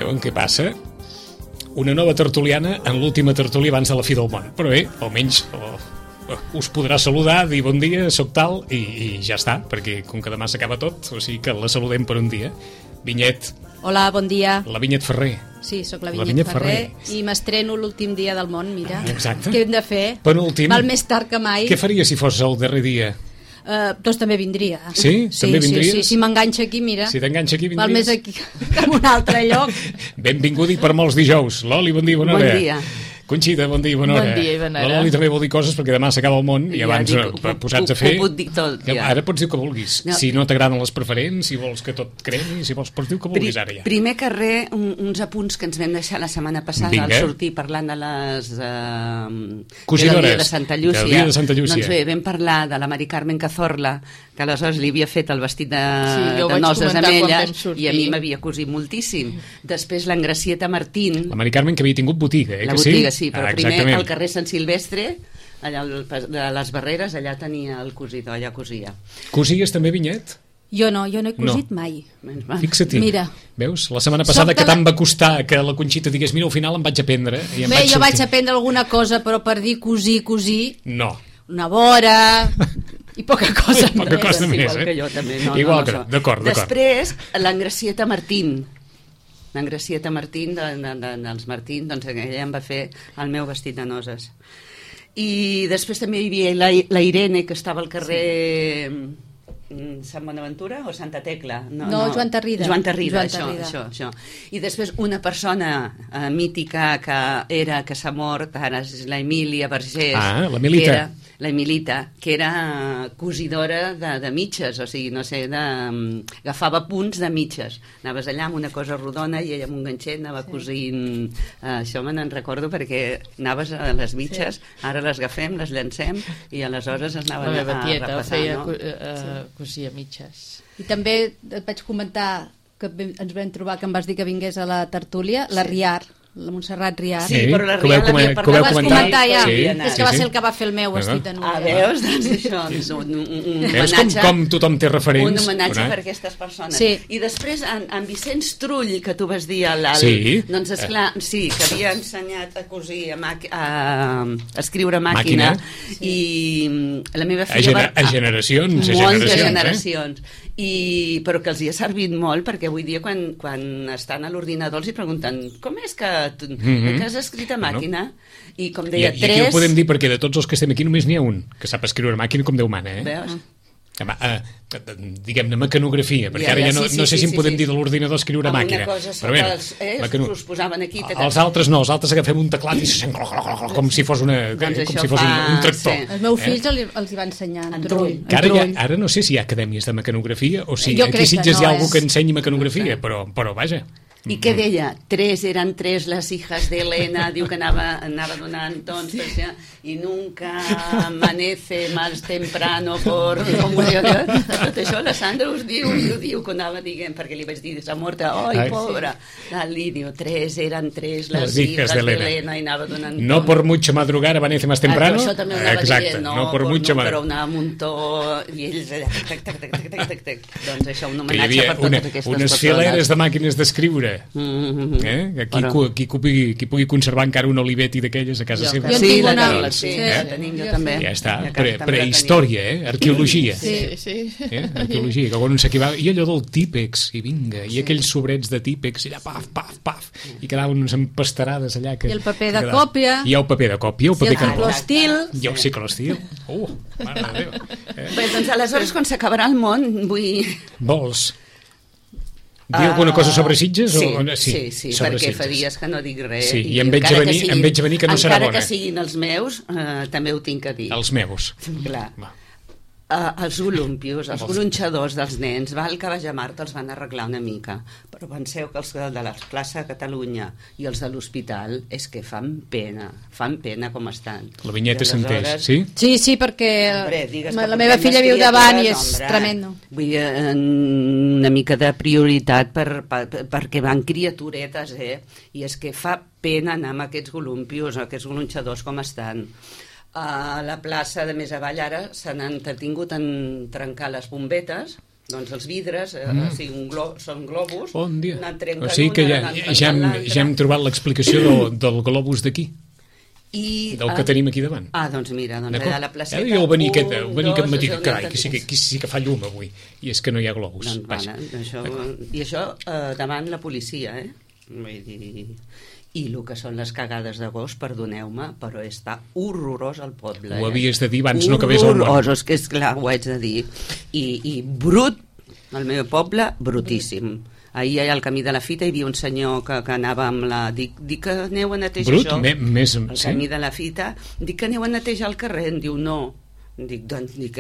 Saben què passa? Una nova tertuliana en l'última tertúlia abans de la fi del món. Però bé, almenys us podrà saludar, dir bon dia, soc tal, i ja està, perquè com que demà s'acaba tot, o sigui que la saludem per un dia. Vinyet. Hola, bon dia. La Vinyet Ferrer. Sí, sóc la Vinyet Ferrer i m'estreno l'últim dia del món, mira. Exacte. Què hem de fer? Penúltim. Val més tard que mai. Què faria si fos el darrer dia? Doncs també vindria. Sí? També vindries? Sí, si m'enganxa aquí, mira. Si t'enganxa aquí, vindries? Val més aquí que en un altre lloc. Benvingut i per molts dijous. Loli, bon dia, bona hora. Bon dia. Conxita, bon dia i bona hora. Bon dia i bona hora. La Loli també vol dir coses perquè demà s'acaba el món i abans posats a fer... Ho puc dir tot, ja. Ara pots dir el que vulguis. No. Si no t'agraden les preferents, si vols que tot cremi, si vols, pots dir el que vulguis ara ja. Primer que res, uns apunts que ens vam deixar la setmana passada al sortir parlant de les... cosidores. Del dia de Santa Llúcia. Del dia de Santa Llúcia. Doncs bé, vam parlar de la Mari Carmen Cazorla, que aleshores li havia fet el vestit de noces amb ella i a mi m'havia cosit moltíssim. Després l'Engracieta Martín. La Mari Carmen que havia tingut botiga, La botiga, sí, però primer al carrer Sant Silvestre, allà de les Barreres, allà tenia el cosidor, allà cosia. Cosies també, Vinyet? Jo no he cosit mai. Fixa't-hi. Mira. Veus? La setmana passada que tant va costar que la Conxita digués mira, al final em vaig aprendre. Bé, jo vaig aprendre alguna cosa, però per dir cosir... No. Una vora... I poca cosa més. Poca cosa més, igual que jo també. Igual que, d'acord. Després, l'Engracieta Martín. L'Engracieta Martín, dels Martín, doncs ella em va fer el meu vestit de noces. I després també hi havia la Irene, que estava al carrer Sant Bonaventura o Santa Tecla? No, Joan Tarrida. Joan Tarrida, això. I després una persona mítica que s'ha mort, ara és la Emília Vergés. Ah, la Milita. La Emilita, que era cosidora de mitges, o sigui, no sé, agafava punts de mitges. Anaves allà amb una cosa rodona i ella amb un ganxet anava cosint. Això me n'en recordo perquè anaves a les mitges, ara les agafem, les llancem i aleshores es anaven a repassar. La meva tieta feia cosia mitges. I també et vaig comentar que ens vam trobar que em vas dir que vingués a la tertúlia, la Riar, la Montserrat Riar. Sí, però la Riar l'havia parlat. Ho vas comentar ja. Sí, és que va ser el que va fer el meu vestit de núvia. Veus? Doncs això, un veus homenatge. Com tothom té referents. Un homenatge per aquestes persones. Sí. I després, en Vicenç Trull, que tu vas dir a l'alt, doncs esclar, sí, que havia ensenyat a cosir, a escriure a màquina. I la meva filla a generacions. Moltes generacions. Però que els hi ha servit molt, perquè avui dia quan estan a l'ordinador els hi pregunten com és que has escrit a màquina? I com deia, I aquí ho podem dir perquè de tots els que estem aquí només n'hi ha un que sap escriure a màquina com Déu mana, Veus? Diguem-ne mecanografia, perquè ara ja no sé si en podem dir de l'ordinador escriure a màquina. Una cosa sota els posaven aquí. Els altres no, els altres agafem un teclat i se sent com si fos un tractor. Els meus fills els hi va ensenyar en Trull. Ara no sé si hi ha acadèmies de mecanografia o si aquí a Sitges hi ha algú que ensenyi mecanografia, però vaja. I què deia? Eren tres les hijas de Elena, diu que anava donant tons, i nunca amanece más temprano por... Tot això la Sandra us diu que anava dient, perquè li vaig dir, s'ha morta, oi, pobra. Li diu, eren tres les hijas de Elena, i anava donant tons. No por mucho madrugar amanece más temprano. Això també ho anava dient, però anava amb un to, i ells allà, doncs això, un homenatge per totes aquestes persones. Unes fileres de màquines d'escriure. Qui pugui conservar encara un Olivetti d'aquelles a casa seva. Jo en tinc una. La tenim jo també. Ja està, prehistòria, arqueologia. Arqueologia, que quan un s'equivava, i allò del típex, i vinga, i aquells sobrets de típex, i allà paf, i quedaven unes empastarades allà. I el paper de còpia. I el paper de còpia, el paper que... Ciclostil. I el ciclostil. Mare de Déu. Bé, doncs aleshores quan s'acabarà el món vull... Vols dir alguna cosa sobre Sitges? Sí, perquè fa dies que no dic res. Sí, i em veig a venir que no serà bona. Encara que siguin els meus, també ho tinc a dir. Els meus. Clar. Els columpios, els gronxadors dels nens, que vaig a Marta els van arreglar una mica, però penseu que els de la plaça de Catalunya i els de l'hospital és que fan pena com estan. La Vinyeta s'entès, sí? Sí, perquè la meva filla viu davant i és tremendo. Vull dir, una mica de prioritat perquè van criaturetes, i és que fa pena anar amb aquests columpios, aquests gronxadors com estan. A la plaça de més avall ara s'han entretingut en trencar les bombetes Doncs els vidres són globus. Bon dia. Anar trencant O sigui que ja hem trobat l'explicació del globus d'aquí. Del que tenim aquí davant. Doncs mira, a la placeta... Jo venir aquest matí, carai, que sí que fa llum avui, i és que no hi ha globus. I això davant la policia, vull dir... I el que són les cagades d'agost, perdoneu-me, però està horrorós al poble. Ho havies de dir abans no acabés el món. Horrorós, que és clar, ho haig de dir. I brut, al meu poble, brutíssim. Ahir al camí de la fita hi havia un senyor que anava amb la... Dic que aneu a netejar això? Al camí de la fita, dic que aneu a netejar el carrer. Em diu, no. Dic,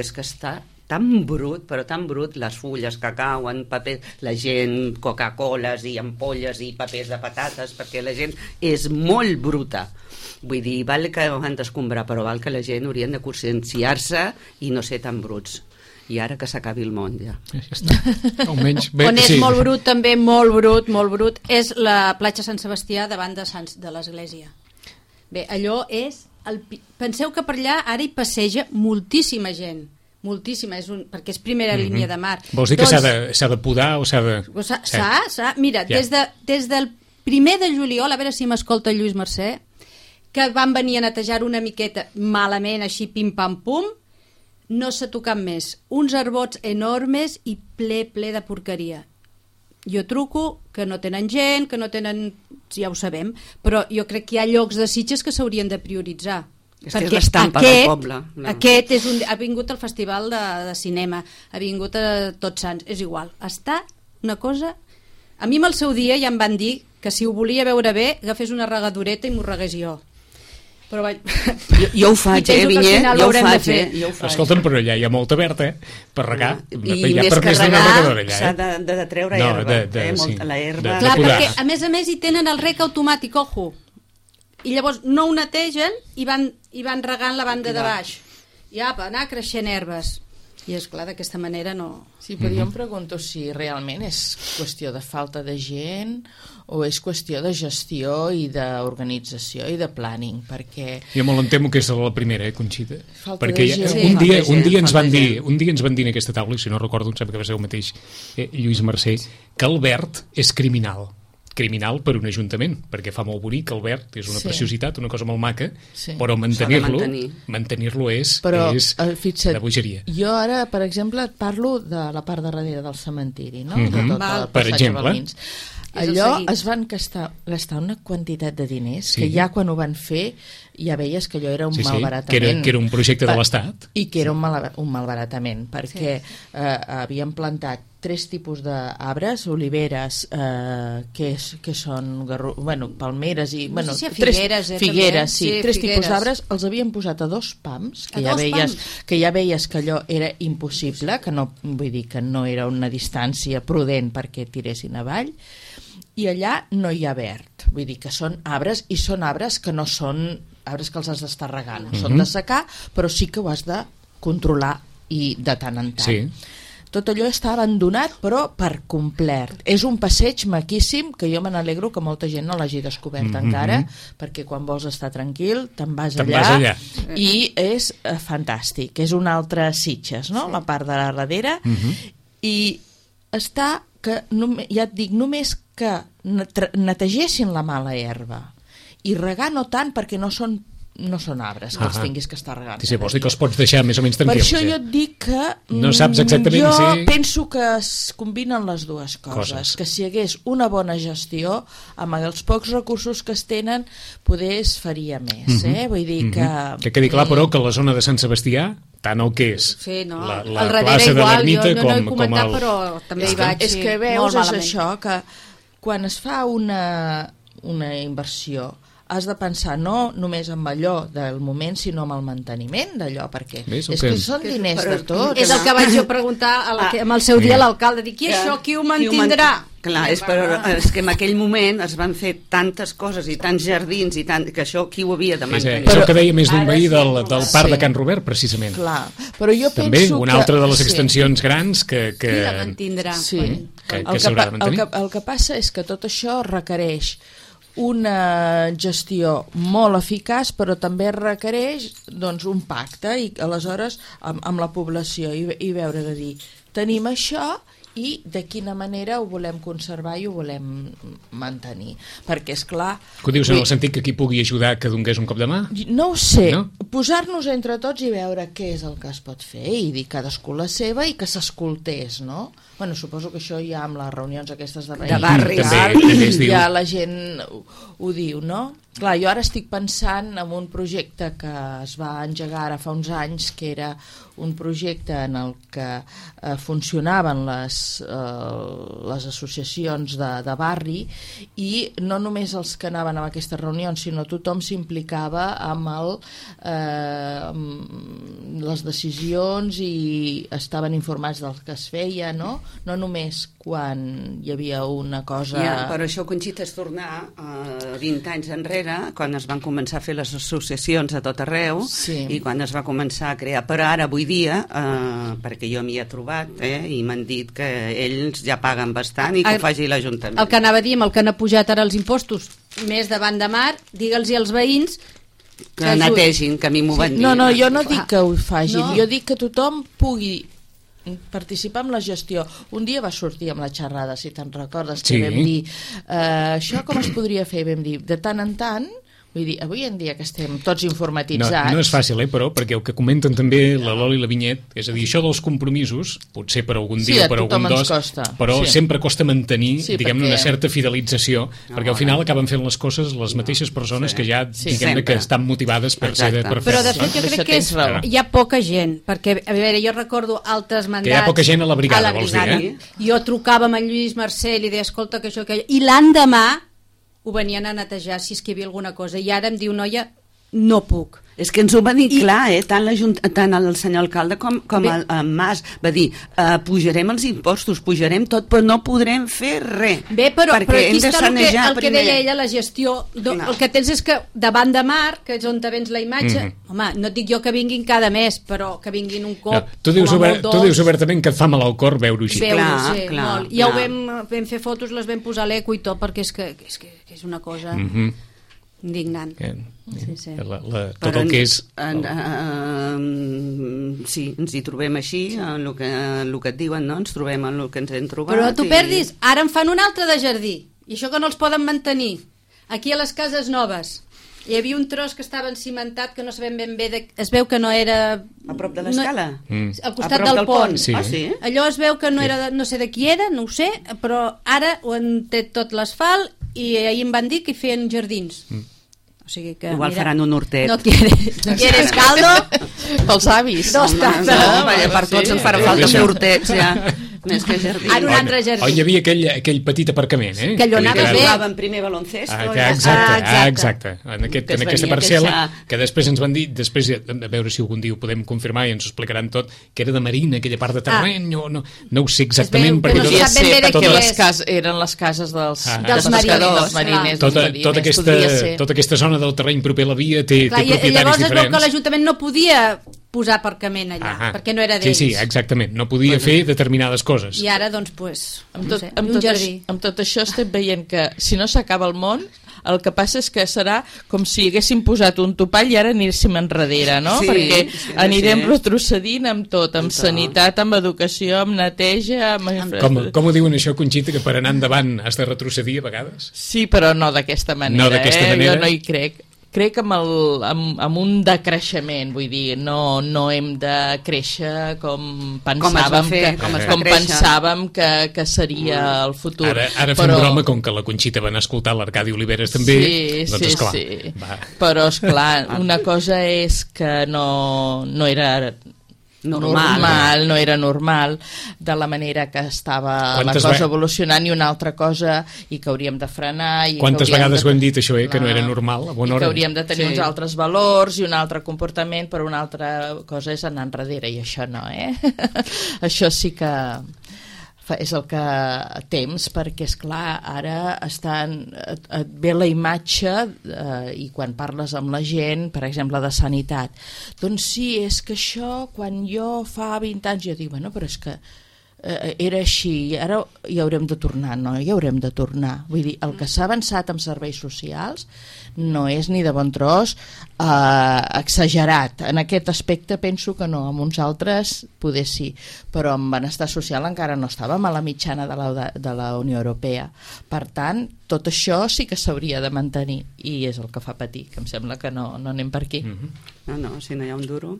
és que està tan brut, però tan brut, les fulles que cauen, papers, la gent, Coca-Coles i ampolles i papers de patates, perquè la gent és molt bruta. Vull dir, val que ho han d'escombrar, però val que la gent haurien de conscienciar-se i no ser tan bruts. I ara que s'acabi el món, ja. Almenys, on és molt brut, també molt brut, és la platja Sant Sebastià davant de l'església. Bé, allò és... Penseu que per allà ara hi passeja moltíssima gent. Moltíssima, perquè és primera línia de mar. Vols dir que s'ha de podar o s'ha de... Mira, des del 1 de juliol, a veure si m'escolta Lluís Mercè, que van venir a netejar una miqueta malament, així pim-pam-pum, no s'ha tocat més. Uns arbots enormes i ple de porqueria. Jo truco que no tenen gent, que no tenen... Ja ho sabem, però jo crec que hi ha llocs de Sitges que s'haurien de prioritzar. És que és l'estampa del poble. Aquest ha vingut al festival de cinema, ha vingut a Tots Sants, és igual. Està una cosa... A mi al seu dia ja em van dir que si ho volia veure bé agafés una regadoreta i m'ho regués jo. Però jo ho faig, Vinyet, jo ho faig. Escolta'm, però allà hi ha molta verd, per regar. I més que regar s'ha de treure herba, la herba. Clar, perquè a més hi tenen el rec automàtic, ojo. I llavors no ho netegen i van regant la banda de baix. I apa, anar creixent herbes. I és clar, d'aquesta manera no... Sí, però jo em pregunto si realment és qüestió de falta de gent o és qüestió de gestió i d'organització i de planning, perquè... Jo molt em temo que és la primera, Conxita? Falta perquè de gent. Un dia ens van dir en aquesta taula, i si no recordo, em sembla que va ser el mateix Lluís Mercè, que el verd és criminal per un ajuntament, perquè fa molt bonic, el verd és una preciositat, una cosa molt maca, però mantenir-lo és de bogeria. Jo ara, per exemple, et parlo de la part de darrere del cementiri, no? Per exemple. Allò es van gastar una quantitat de diners que ja quan ho van fer ja veies que allò era un malbaratament. Que era un projecte de l'Estat. I que era un malbaratament, perquè havien plantat 3 tipus d'arbres, oliveres, que són palmeres i... Figueres, sí. 3 tipus d'arbres, els havien posat a 2 pams, que ja veies que allò era impossible, que no, vull dir que no era una distància prudent perquè tiressin avall, i allà no hi ha verd, vull dir que són arbres, i són arbres que no són arbres que els has d'estar regant, són de secar, però sí que ho has de controlar i de tant en tant. Sí. Tot allò està abandonat, però per complet. És un passeig maquíssim que jo me n'alegro que molta gent no l'hagi descobert encara, perquè quan vols estar tranquil te'n vas allà. I és fantàstic. És un altre Sitges, no? La part de la darrere. I està que, ja et dic, només que netegessin la mala herba i regar no tant, perquè no són arbres que els tinguis que estar regant. Sí, vols dir que els pots deixar més o menys tranquils. Per això jo et dic que no saps exactament jo penso que es combinen les dues coses. Que si hi hagués una bona gestió, amb els pocs recursos que es tenen, poder es faria més. Vull dir que... Que quedi clar, però, que la zona de Sant Sebastià, tant el que és la plaça de l'Ermita com el... Però també hi vaig. És que veus, és això, que quan es fa una inversió has de pensar no només amb allò del moment, sinó amb el manteniment d'allò, perquè és que són diners de tots. És el que vaig jo preguntar amb el seu dia a l'alcalde, dic, i això qui ho mantindrà? Clar, és que en aquell moment es van fer tantes coses i tants jardins i tant, que això qui ho havia de mantenir? És el que deia més d'un veí del parc de Can Robert, precisament. Clar, però jo penso també una altra de les extensions grans que qui la mantindrà? Que s'haurà de mantenir. El que passa és que tot això requereix una gestió molt eficaç, però també requereix un pacte i aleshores amb la població i veure de dir tenim això i de quina manera ho volem conservar i ho volem mantenir, perquè és clar... Que ho dius en el sentit que qui pugui ajudar que donés un cop de mà? No ho sé, no? Posar-nos entre tots i veure què és el que es pot fer i dir cadascú la seva i que s'escoltés, no? Bueno, suposo que això ja amb les reunions aquestes de barri ja la gent ho diu, no? Clar, jo ara estic pensant en un projecte que es va engegar ara fa uns anys, que era un projecte en el que funcionaven les associacions de barri, i no només els que anaven a aquestes reunions, sinó tothom s'implicava amb les decisions i estaven informats del que es feia, no? No només quan hi havia una cosa... Ja, però això, Conxita, és tornar 20 anys enrere, quan es van començar a fer les associacions a tot arreu, i quan es va començar a crear. Però ara, avui dia, perquè jo m'hi he trobat, i m'han dit que ells ja paguen bastant i que ho faci l'Ajuntament. El que anava a dir, amb el que han pujat ara els impostos més davant de mar, digue'ls als veïns que netegin, que a mi m'ho van dir. No, jo no dic que ho facin, jo dic que tothom pugui participar en la gestió. Un dia va sortir amb la xerrada, si te'n recordes, que vam dir això com es podria fer? Vam dir, de tant en tant, vull dir, avui en dia que estem tots informatitzats... No és fàcil, però, perquè el que comenten també la Loli i la Vinyet, és a dir, això dels compromisos, potser per algun dia o per algun dos, però sempre costa mantenir, diguem-ne, una certa fidelització, perquè al final acaben fent les coses les mateixes persones que ja, diguem-ne, que estan motivades per fer-ho. Però de fet jo crec que hi ha poca gent, perquè, a veure, jo recordo altres mandats... Que hi ha poca gent a la brigada, vols dir, Jo trucava amb en Lluís Mercè i li deia, escolta, que això, que... I l'endemà ho venien a netejar si és que hi havia alguna cosa, i ara em diu, noia, no puc. És que ens ho va dir clar, tant el senyor alcalde com el Mas va dir, pujarem els impostos, pujarem tot, però no podrem fer res. Bé, però aquí està el que deia ella, la gestió. El que tens és que davant de mar, que és on te vens la imatge, home, no et dic jo que vinguin cada mes, però que vinguin un cop. Tu dius obertament que et fa mal al cor veure-ho així. Clar. Ja ho vam fer fotos, les vam posar a l'eco i tot, perquè és que és una cosa... indignant. Tot el que és... Sí, ens hi trobem així, el que et diuen, no? Ens trobem en el que ens hem trobat. Però tu perdis, ara en fan un altre de jardí, i això que no els poden mantenir. Aquí a les cases noves hi havia un tros que estava encimentat, que no sabem ben bé, es veu que no era... A prop de l'escala? Al costat del pont. Sí. Allò es veu que no era, no sé de qui era, no ho sé, però ara ho han tret tot l'asfalt i ahir em van dir que hi feien jardins. O sigui que, igual faran un hortet. No quieres caldo? Pels avis. Per tots ens farà falta fer hortets, ja. Més que jardí. Ara un altre jardí. Hi havia aquell petit aparcament, que allò anava bé. Jugàvem primer baloncesto. Exacte. En aquesta parcel·la, que després ens van dir, després a veure si algun dia ho podem confirmar i ens ho explicaran tot, que era de marina, aquella part de terreny, no ho sé exactament. Podria ser, perquè eren les cases dels mariners. Tota aquesta zona del terreny proper a la via té propietaris diferents. Llavors es veu que l'Ajuntament no podia posar aparcament allà, perquè no era d'ells. Sí, exactament, no podia fer determinades coses. I ara, doncs, un jardí. Amb tot això estem veient que si no s'acaba el món, el que passa és que serà com si haguéssim posat un topall i ara anéssim enrere, no? Perquè anirem retrocedint amb tot, amb sanitat, amb educació, amb neteja... Com ho diuen això, Conxita, que per anar endavant has de retrocedir a vegades? Sí, però no d'aquesta manera, jo no hi crec. Crec amb un decreixement, vull dir, no hem de créixer com pensàvem que seria el futur. Ara fem broma, com que la Conxita va anar a escoltar l'Arcadi Oliveres també, doncs esclar. Sí. Però esclar, una cosa és que no era... normal, no era normal de la manera que estava la cosa evolucionant, i una altra cosa i que hauríem de frenar. Quantes vegades ho hem dit això, que no era normal a bona hora? I que hauríem de tenir uns altres valors i un altre comportament, però una altra cosa és anar enrere, i això no, això sí que és el que temps, perquè esclar, ara et ve la imatge i quan parles amb la gent, per exemple de sanitat, doncs sí, és que això quan jo fa 20 anys jo dic, bueno, però és que era així, ara hi haurem de tornar, no, hi haurem de tornar. Vull dir, el que s'ha avançat amb serveis socials no és ni de bon tros exagerat. En aquest aspecte penso que no, amb uns altres poder sí, però en benestar social encara no estàvem a la mitjana de la Unió Europea. Per tant, tot això sí que s'hauria de mantenir i és el que fa patir, que em sembla que no anem per aquí. No, si no hi ha un duro...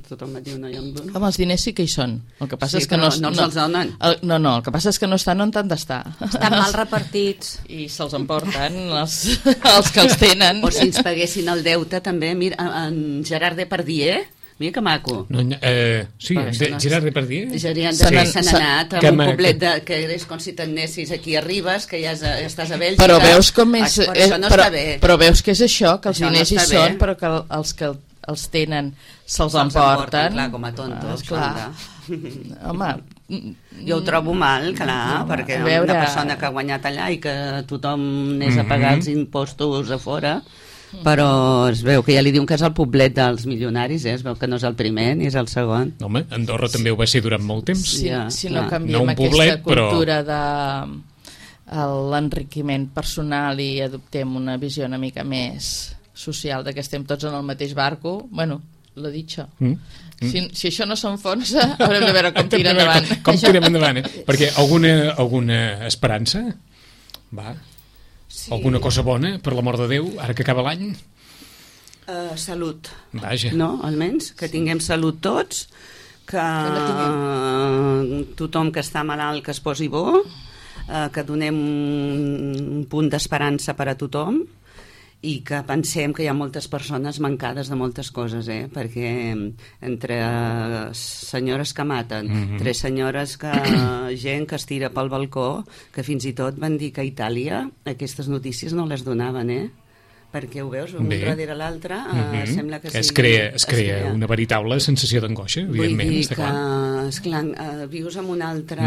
Tothom et diu no hi ha un duro. Home, els diners sí que hi són. El que passa és que no els donen. No, el que passa és que no estan on han d'estar. Estan mal repartits. I se'ls emporten els que els tenen. O si ens paguessin el deute també. Mira, en Gerard Depardieu, mira que maco. Sí, Gerard Depardieu. Se n'han anat a un poblet que és com si t'anessis aquí a Ribes, que ja estàs a Bèlgica. Però veus com és... Això no està bé. Però veus que és això, que els diners hi són, però que els que els tenen se'ls emporten. Clar, com a tontos. Clar. Home, jo ho trobo mal, clar, perquè una persona que ha guanyat allà i que tothom anés a pagar els impostos a fora, però es veu que ja li diuen que és el poblet dels milionaris, es veu que no és el primer ni és el segon. Home, Andorra també ho va ser durant molt temps. Si no canviem aquesta cultura de l'enriquiment personal i adoptem una visió una mica més social, de que estem tots en el mateix barco, bueno, lo dicho. Si això no s'enfonsa, haurem de veure com tira endavant. Com tirem endavant, Perquè alguna esperança? Va. Sí. Alguna cosa bona, per l'amor de Déu, ara que acaba l'any? Salut. Vaja. No, almenys, que tinguem salut tots, que tothom que està malalt que es posi bo, que donem un punt d'esperança per a tothom, i que pensem que hi ha moltes persones mancades de moltes coses, perquè entre senyores que maten, entre senyores gent que es tira pel balcó, que fins i tot van dir que a Itàlia aquestes notícies no les donaven, perquè ho veus, un darrere l'altre, sembla que es crea una veritable sensació d'angoixa, evidentment. Vull dir que, esclar, vius amb un altre,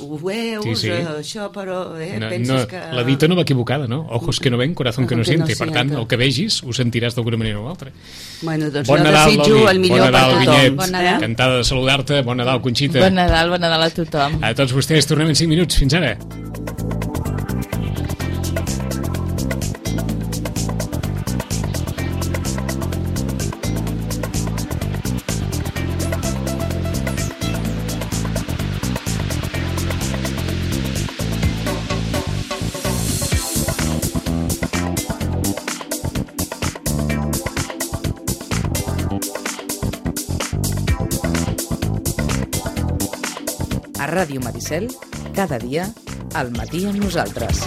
ho veus, això, però penses que... La dita no va equivocada, no? Ojos que no ven, corazón que no siente. Per tant, el que vegis ho sentiràs d'alguna manera o altra. Bueno, doncs jo desitjo el millor per tothom. Bon Nadal, encantada de saludar-te. Bon Nadal, Conxita. Bon Nadal a tothom. A tots vostès, tornem en 5 minuts. Fins ara. A Ràdio Maricel, cada dia, al matí amb nosaltres.